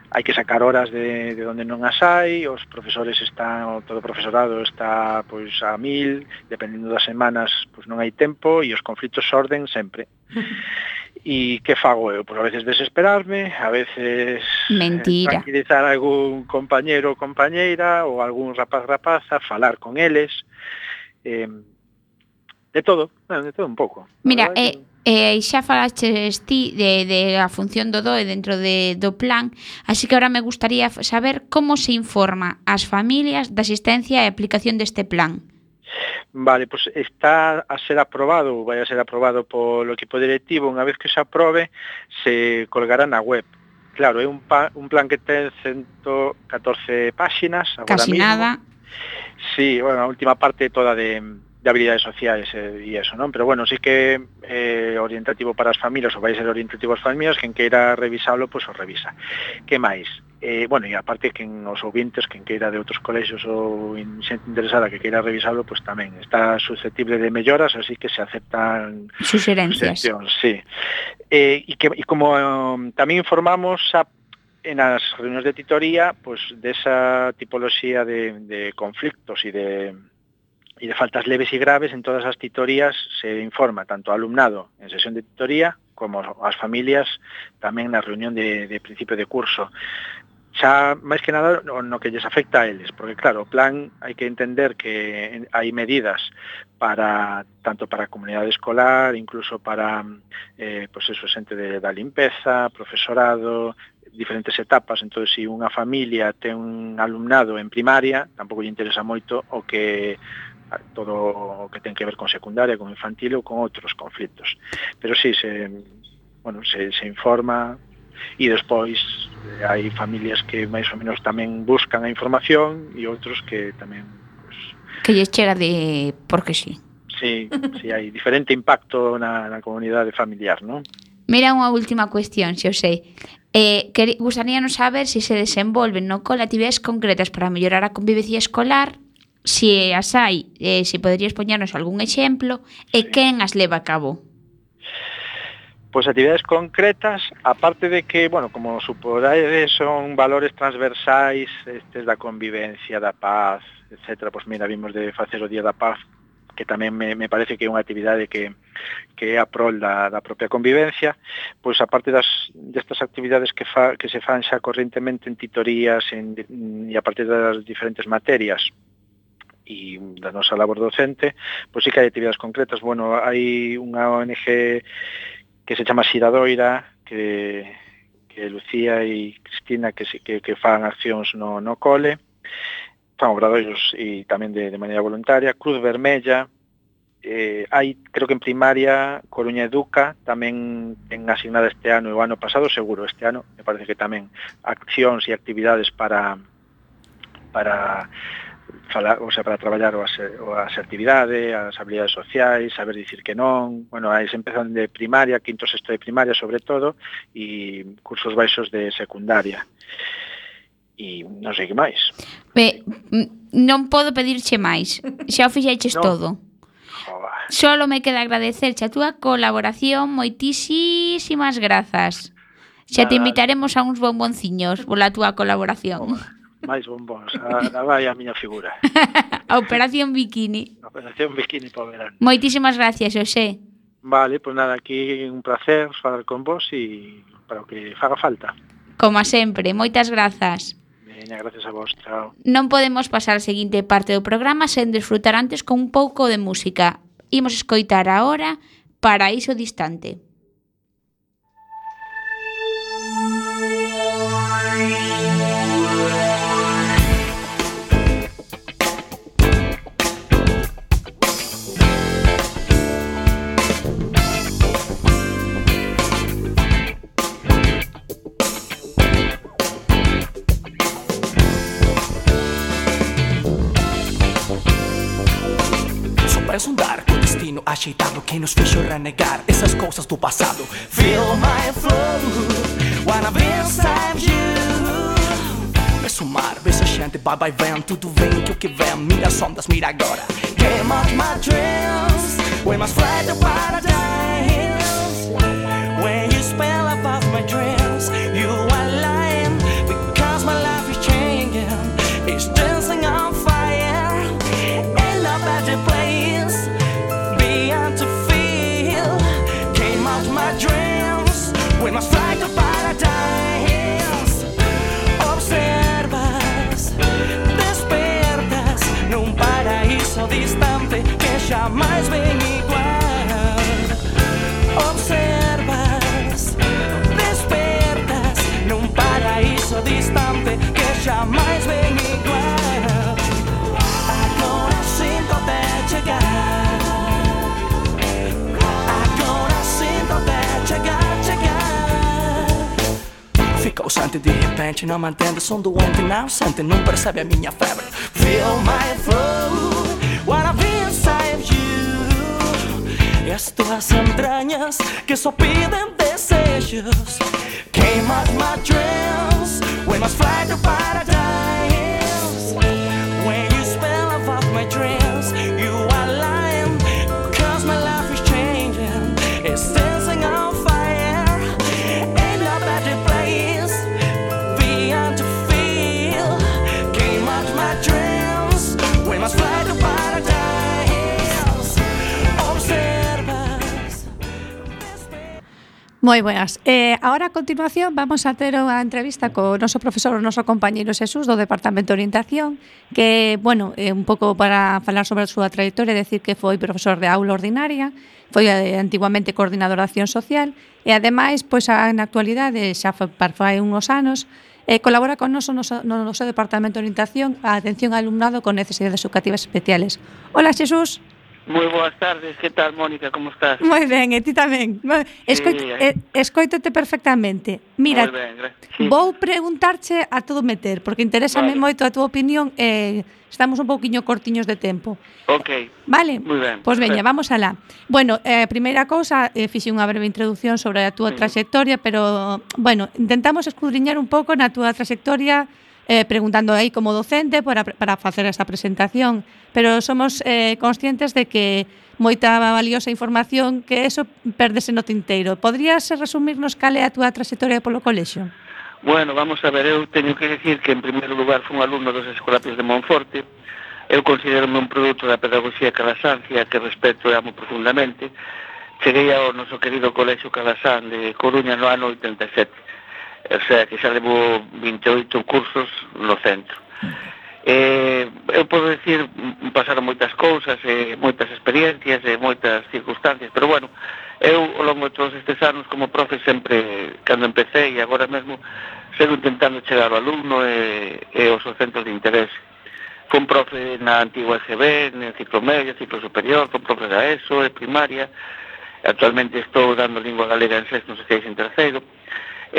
hai que sacar horas de onde non as hai, os profesores están, todo o profesorado está pois a 1000, dependendo das semanas, pois non hai tempo e os conflitos xorden sempre. E que fago eu? Pois a veces desesperarme, a veces tranquilizar a algún compañeiro ou compañeira ou algún rapaza, falar con eles, de todo un pouco. Mira, xa falaches ti de a función do DOE dentro do plan, así que ahora me gustaría saber como se informa as familias da asistencia e aplicación deste plan. Vale, pues está a ser aprobado, vai a ser aprobado polo equipo directivo. Unha vez que se aprobe, se colgará na web. Claro, é un plan que ten 114 páxinas agora Casi mismo. nada. Sí, bueno, a última parte toda de habilidades sociais e eso, non? Pero bueno, sí que orientativo para as familias, ou vai ser orientativo as familias, quen queira revisalo, pois o revisa. Que máis? Bueno, e aparte que os ouvintes, quen queira de outros colexios ou xente interesada que queira revisalo, pois tamén está susceptible de melloras, así que se aceptan suxerencias. Sí. E como tamén informamos en as reunións de titoría, pois desa tipoloxía de conflictos e de faltas leves e graves, en todas as titorías se informa tanto ao alumnado en sesión de titoría como ás familias tamén na reunión de principio de curso. Xa, máis que nada, no que lles afecta a eles, porque claro, o plan hai que entender que hai medidas tanto para a comunidade escolar, incluso para xente da limpeza, profesorado, diferentes etapas. Entón, se unha familia ten un alumnado en primaria, tampouco lle interesa moito todo o que ten que ver con secundaria, con infantil ou con outros conflitos. Pero sí, se informa. E despois hai familias que máis ou menos tamén buscan a información e outros que tamén que lles chega de porque sí. Sí, hai diferente impacto na comunidade familiar, non? Mira, unha última cuestión, se eu sei. Gustaríanos saber se se desenvolven no cole actividades concretas para mellorar a convivencia escolar, se as hai, se poderías poñernos algún exemplo, e quen as leva a cabo. Pois actividades concretas, aparte de que, bueno, como suporáis, son valores transversais estes da convivencia, da paz, etc. Pois mira, vimos de facer o Día da Paz, que tamén me parece que é unha actividade que é a prol da propia convivencia. Pois aparte destas actividades que se fan xa correntemente en titorías e a partir das diferentes materias e da nosa labor docente, pois sí que hai actividades concretas. Bueno, hai unha ONG que se chama Xiradoira, que Lucía e Cristina que fan accións no cole, fan obradoiros e tamén de maneira voluntaria. Cruz Vermella, hai, creo que en primaria, Coruña Educa, tamén ten asignada este ano e o ano pasado, seguro, este ano, me parece que tamén accións e actividades para traballar a asertividade, as habilidades sociais, saber dicir que non. Bueno, aí se empezan de primaria, quinto, sexto de primaria sobre todo, e cursos baixos de secundaria. E non sei que máis. Non podo pedirche máis. Xa o fixeches todo. Solo me queda agradecerche a túa colaboración. Moitísimas grazas. Xa te invitaremos a uns bombonciños pola túa colaboración. Máis bombóns, vai a miña figura. A Operación Bikini. A Operación Bikini para o verano. Moitísimas gracias, Xosé. Vale, pois nada, aquí un placer falar con vos e para o que faga falta. Como sempre, moitas grazas. Veña, gracias a vos, chao. Non podemos pasar a seguinte parte do programa sen desfrutar antes con un pouco de música. Imos escoitar agora Paraíso Distante. És um dark destino ajeitado que nos fez renegar essas coisas do passado. Feel my flow when I'm inside you. Vê o mar, vê a gente, vai, vem, tudo vem, que o que vem, mira as ondas, mira agora. Came out my dreams, we must fly to paradise. When you spell above my dreams, you are lying. distante que jamais ven igual. Observas, despertas nun paraíso distante que jamais ven igual. Agora sinto-te chegar, agora sinto-te chegar. Fica ausente de repente, não mantendo o som do ontem, não sente, não percebe a minha febre. Feel my flow, wanna be inside you. E as tuas entranhas que só pedem desejos. Queima my dreams, we must fly to paradise. When you spell above my dreams, you are lying, cause my life is changing. It's dancing on fire, ain't no better place beyond to feel. Queima my dreams, we must fly to paradise. Observas. Moi buenas. Ahora a continuación vamos a ter unha entrevista co noso profesor, o noso compañeiro Xesús do Departamento de Orientación, que, bueno, un pouco para falar sobre a súa trayectoria, decir que foi profesor de aula ordinaria, foi antiguamente coordinador de acción social e, ademais, pois, na actualidade, xa fai uns anos, colabora con noso Departamento de Orientación a atención ao alumnado con necesidades educativas especiales. Hola, Xesús. Moi boas tardes, que tal, Mónica, como estás? Moi ben, e ti tamén. Escoítate perfectamente. Mira, sí. Vou preguntarche a todo meter, porque interésame moito a túa opinión e estamos un pouquiño cortiños de tempo. Ok. Vale? Moi ben. Pois veña, vamos alá. Bueno, primeira cousa, fixe unha breve introducción sobre a túa trayectoria, pero, bueno, intentamos escudriñar un pouco na túa trayectoria, preguntando aí como docente para facer esa presentación, pero somos conscientes de que moita valiosa información que eso pérdese no tinteiro. Podrías resumirnos cal é a túa trayectoria polo colexio? Bueno, vamos a ver, eu teño que decir que en primeiro lugar fui un alumno dos Escolapios de Monforte. Eu considero-me un produto da pedagogía calasancia que respeto e amo profundamente. Cheguei ao noso querido colexio Calasán de Coruña no ano 87. O sea, que xa levo 28 cursos no centro. Eu podo decir, pasaron moitas cousas, moitas experiencias, moitas circunstancias, pero bueno, eu ao longo de todos estes anos como profe sempre, cando empecé e agora mesmo, sigo intentando chegar ao alumno e aos centros de interés. Fui profe na antigua EGB, no ciclo medio, ciclo superior, fui profe da ESO, de primaria, actualmente estou dando lingua galega en sexto, seis en terceiro.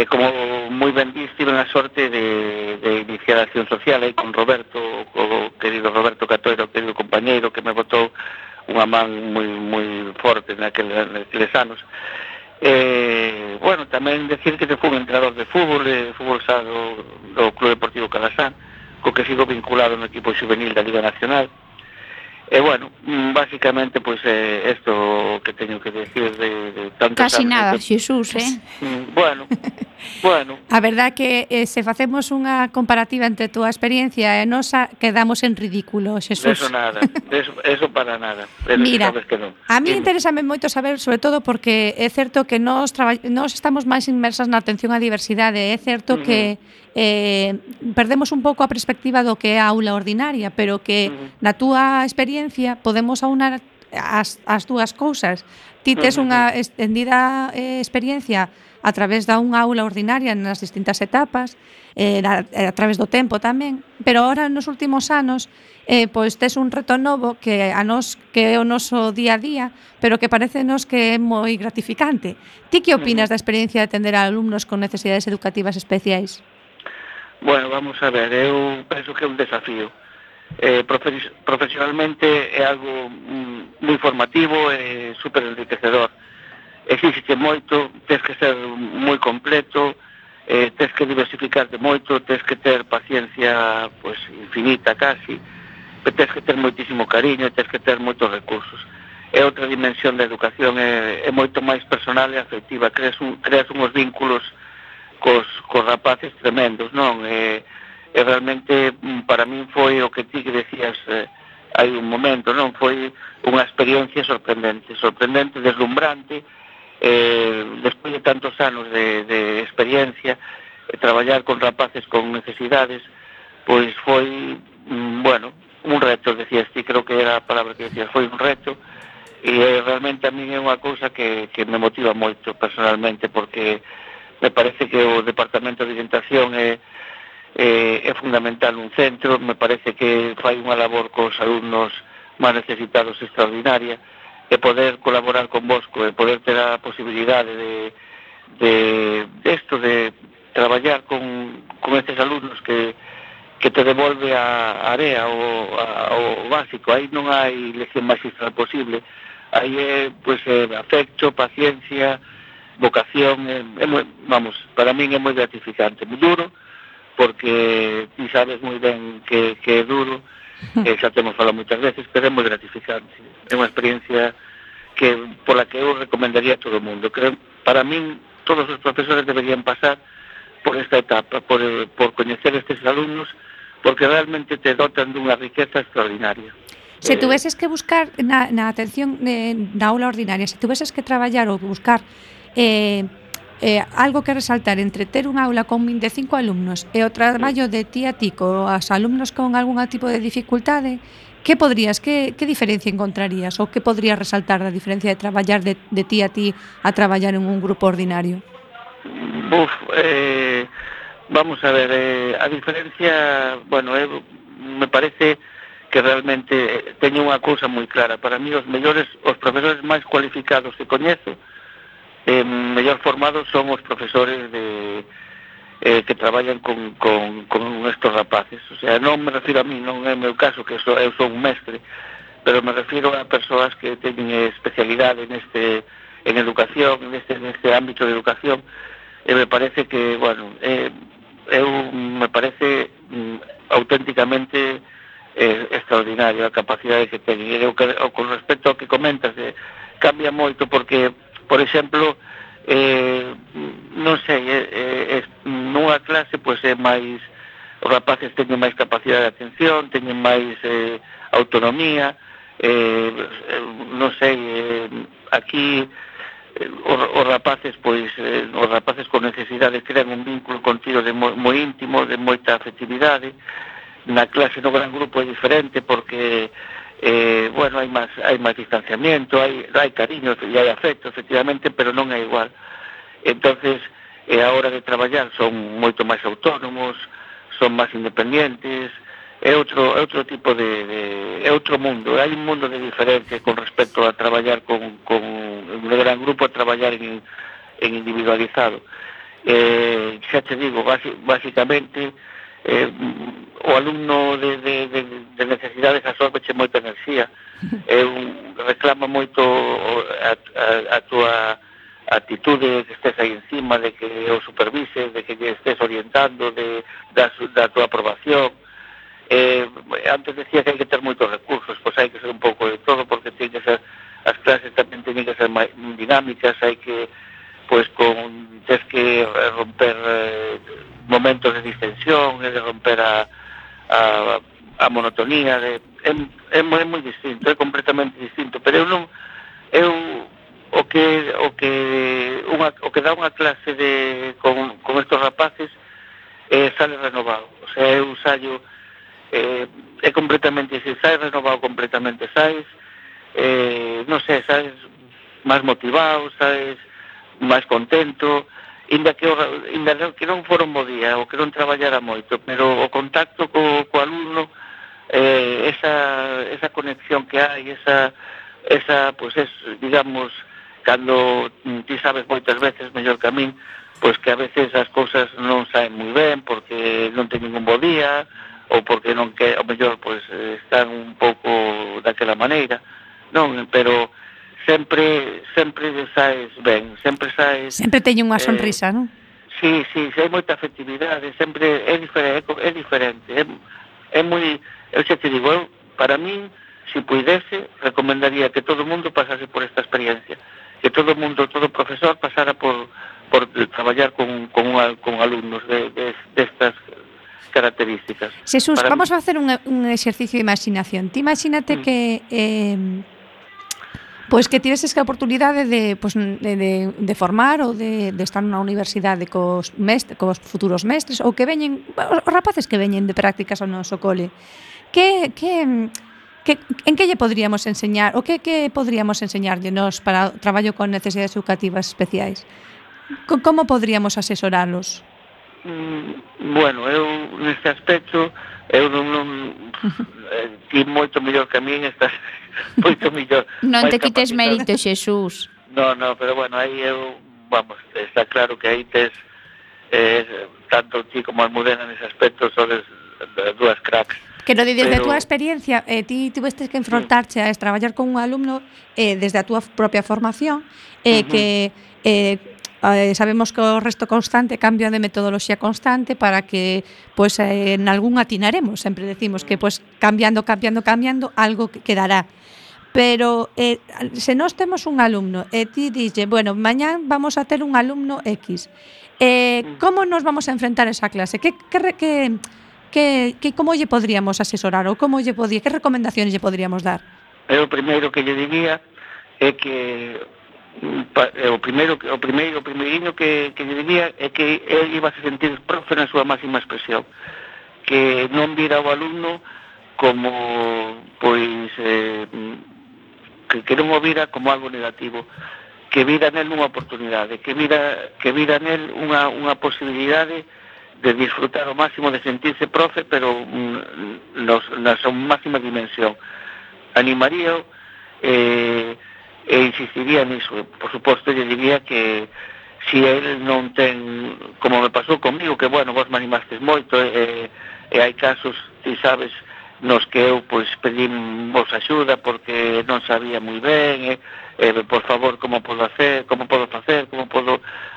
Como moi ben dís, tive a sorte de iniciar a acción social aí con Roberto, o querido Roberto Catoira, o querido compañeiro que me botou unha man moi forte naqueles anos. Bueno, tamén decir que fui un entrenador de fútbol xa do Club Deportivo Calasán, co que sigo vinculado no equipo juvenil da Liga Nacional. Bueno, básicamente, pues, esto que teño que decir de tantos Casi anos, nada, Xesús, Bueno. A verdad que se facemos unha comparativa entre a túa experiencia e nosa, quedamos en ridículo, Xesús. Eso nada, eso para nada. Mira, sabes que non. A mí interésame moito saber, sobre todo porque é certo que nós estamos máis inmersas na atención á diversidade, é certo que perdemos un pouco a perspectiva do que é a aula ordinaria, pero que na túa experiencia podemos aunar as dúas cousas. Ti tes unha extendida experiencia a través da unha aula ordinaria nas distintas etapas, a través do tempo tamén, pero ahora nos últimos anos pois tes un reto novo que a nós que é o noso día a día, pero que parecenos que é moi gratificante. Ti que opinas da experiencia de atender a alumnos con necesidades educativas especiais? Bueno, vamos a ver, eu penso que é un desafío. Profesionalmente é algo moi formativo e super enriquecedor. Existe moito, tens que ser moi completo, tens que diversificarte moito, tens que ter paciencia pues, infinita casi, tens que ter moitísimo cariño, tens que ter moitos recursos. É outra dimensión da educación, é moito máis personal e afectiva, creas uns vínculos cos rapaces tremendos, non? E realmente para min foi o que ti que decías hai un momento, non? Foi unha experiencia sorprendente, deslumbrante, despois de tantos anos de experiencia, traballar con rapaces con necesidades, pois foi, bueno, un reto, decías ti, creo que era a palabra que decías, foi un reto, e realmente a min é unha cousa que me motiva moito personalmente, porque me parece que o Departamento de Orientación é fundamental un centro, me parece que fai unha labor cos alumnos máis necesitados extraordinaria, e poder colaborar con vosco, e poder ter a posibilidade de traballar con estes alumnos que te devolve a área o básico. Aí non hai lección magistral posible, aí é afecto, paciencia, vocación, para min é moi gratificante, moi duro, porque ti sabes moi ben que é duro, xa temos falado moitas veces, pero é moi gratificante, é unha experiencia pola que eu recomendaría a todo o mundo. Creo, para min, todos os profesores deberían pasar por esta etapa, por coñecer estes alumnos, porque realmente te dotan dunha riqueza extraordinaria. Se tuveses que buscar na atención na aula ordinaria, se tuveses que traballar ou buscar algo que resaltar entre ter unha aula con 25 alumnos e o traballo de ti a ti coas alumnos con algún tipo de dificultade, que diferencia encontrarías ou que podrías resaltar da diferencia de traballar de ti a ti a traballar en un grupo ordinario? Vamos a ver, a diferencia, me parece que realmente teño unha cousa moi clara. Para mí os profesores máis cualificados que coñezo, mellor formados son os profesores que traballan con estes rapaces. O sea, non me refiro a mí, non é o meu caso, que eu sou un mestre, pero me refiro a persoas que teñen especialidade en educación, neste ámbito de educación, e me parece que, me parece auténticamente extraordinario a capacidade que teñen. E con respecto ao que comentas, cambia moito porque, por exemplo, non sei, nunha clase é máis, os rapaces teñen máis capacidade de atención, teñen máis autonomía, non sei, aquí os rapaces con necesidades crean un vínculo contigo moi íntimo, de moita afectividade. Na clase no gran grupo é diferente porque hai máis distanciamiento, hai cariño e hai afecto, efectivamente, pero non é igual. Entonces, a hora de traballar son moito máis autónomos, son máis independientes, é outro tipo é outro mundo, hai un mundo de diferencia con respecto a traballar con un gran grupo, a traballar en individualizado. Xa te digo, basicamente, o alumno de necesidades absorbeche moita enerxía, reclama moito a túa actitude, que estés aí encima, de que o supervises, de que lle estés orientando, da túa aprobación. Antes decía que hai que ter moitos recursos, pois hai que ser un pouco de todo, porque as clases tamén teñen que ser máis dinámicas, hai que tens que romper momentos de distensión, de romper a monotonía, é moi distinto, é completamente distinto, pero o que dá unha clase con estos rapaces sale renovado. O sea, eu saio é completamente, se saes renovado completamente, saes non sei, saes máis motivado, saes máis contento, inda que non fora un bo día, ou que non traballara moito, pero o contacto co alumno, esa conexión que hai, digamos, cando ti sabes moitas veces mellor que a min, pois que a veces as cousas non saen moi ben, porque non teñen un bo día, ou porque non que, ao mellor, pois, están un pouco daquela maneira, non, pero sempre saes ben, sempre teñen unha sonrisa, non? Sí, hai moita afectividade, sempre é diferente, é moi, eu xa te digo, para min, se puidese, recomendaría que todo o mundo pasase por esta experiencia, que todo profesor pasara por traballar con alumnos destas características. Jesús, vamos a facer un exercicio de imaginación. Ti imagínate que que tiveses a oportunidade de formar ou de estar nunha universidade cos futuros mestres ou que veñen, os rapaces que veñen de prácticas ao noso cole. en que lle podríamos enseñar, o que podríamos enseñarlle nós para o traballo con necesidades educativas especiais? Como podríamos asesoralos? Bueno, eu neste aspecto eu non ti moito mellor que a min, estás moito mellor. Non te máis quites capacitado. mérito, Xesús. No, pero bueno, aí eu, vamos, está claro que aí tes tanto ti como Almudena nese aspecto sodes dúas cracks. Que no desde a Pero- túa experiencia, ti tivestes que enfrontarche a traballar con un alumno desde a túa propia formación, que sabemos que o resto constante cambia de metodoloxía constante para que pues en algún atinaremos, sempre decimos que pues cambiando algo que quedará. Pero se nós temos un alumno e ti dille, bueno, mañán vamos a ter un alumno X, como nos vamos a enfrentar a esa clase? Que como lle podríamos asesorar ou que recomendacións lle podríamos dar? Eu o primeiro que lle diría é que o primeiriño que lle diría é que ele iba a se sentir profe na súa máxima expresión, que non vira o alumno como pois que non o vira como algo negativo, que vira nel unha oportunidade, que vira nel unha posibilidade de disfrutar ao máximo, de sentirse profe, pero na súa máxima dimensión. Animaríao e insistiría niso. Por suposto, lle diría que si ele non ten, como me pasou comigo, que bueno, vos me animastes moito, e hai casos, ti sabes, nos que eu pois pedín vos axuda porque non sabía moi ben, por favor, como podo facer, como podo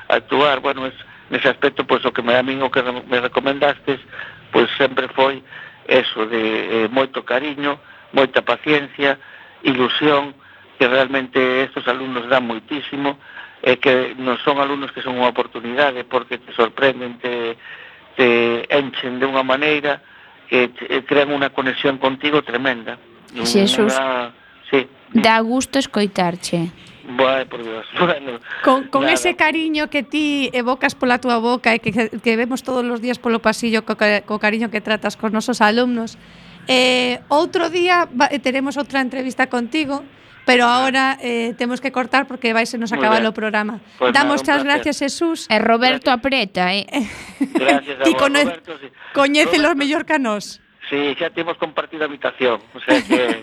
actuar. Bueno, nese aspecto, pois o que a min o que me recomendastes, pois sempre foi eso de moito cariño, moita paciencia, ilusión, que realmente estos alumnos dan moitísimo, e que non son alumnos que son unha oportunidade, porque te sorprenden, te enchen de unha maneira que crean unha conexión contigo tremenda. Xesús, sí. dá gusto escoitarche. Vai, por Dios. Bueno, Con nada. ese cariño que ti evocas pola túa boca e que vemos todos os días polo pasillo co cariño que tratas cos nosos alumnos. Outro día teremos outra entrevista contigo, pero ahora temos que cortar porque vai se nos Muy acabar ben. o programa. Pues Damos nada, as un gracias, Jesús. E Roberto apreta, Gracias a Ti vos, Roberto. Sí. coñécelos Roberto, mellor que a nós. Sí, xa temos compartido habitación, o sea que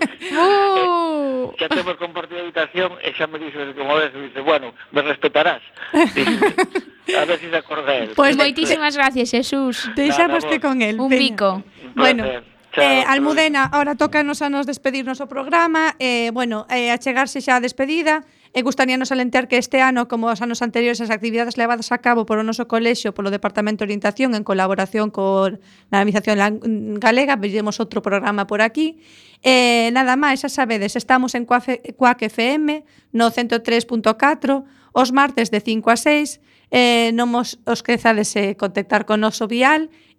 xa temos compartido habitación e xa me dices, como ves, me dice, bueno, me respetarás. Dice, a ver si se acorda él. Pues Moitísimas gracias, Xesús. Deixamos Nada, que con el. Un veña. bico. Un Bueno, placer. Chao, Almudena, ahora tócanos a nos despedirnos o programa. A chegarse xa a despedida. Gustaríanos alentear que este ano, como os anos anteriores, as actividades levadas a cabo polo noso colexio, polo Departamento de Orientación, en colaboración con a Administración Galega, veremos outro programa por aquí. Nada máis, xa sabedes, estamos en Cuac FM, no 103.4, os martes de 5 a 6, non os esquezades contactar con noso vial,